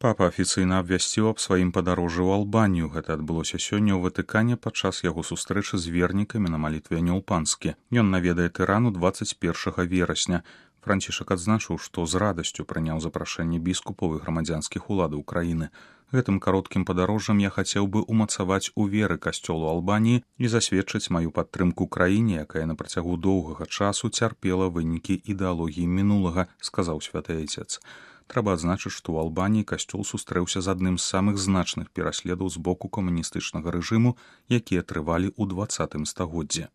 Папа афіцыйна абвясціў аб сваім падарожжы ў Албанію. Гэта адбылося сёння ў Ватыкане падчас яго сустрэчы з вернікамі на малітве Нёл-Панскі. Ён наведае Тырану 21 верасня. Францішак адзначыў, што з радасцю прыняў запрашэнне біскупаў і грамадзянскіх уладаў краіны. Гэтым кароткім падарожжам я хацеў бы умацаваць у веры касцёлу Албаніі і засведчыць маю падтрымку краіне, якая на працягу доўгага часу цярпела вынікі ідэалогіі мінулага, сказаў святы айцец. Трэба адзначыць, што ў Албаніі касцёл сустрэўся з адным з самых значных пераследаў з боку камуністычнага рэжыму, якія трывалі ў 20 стагоддзі.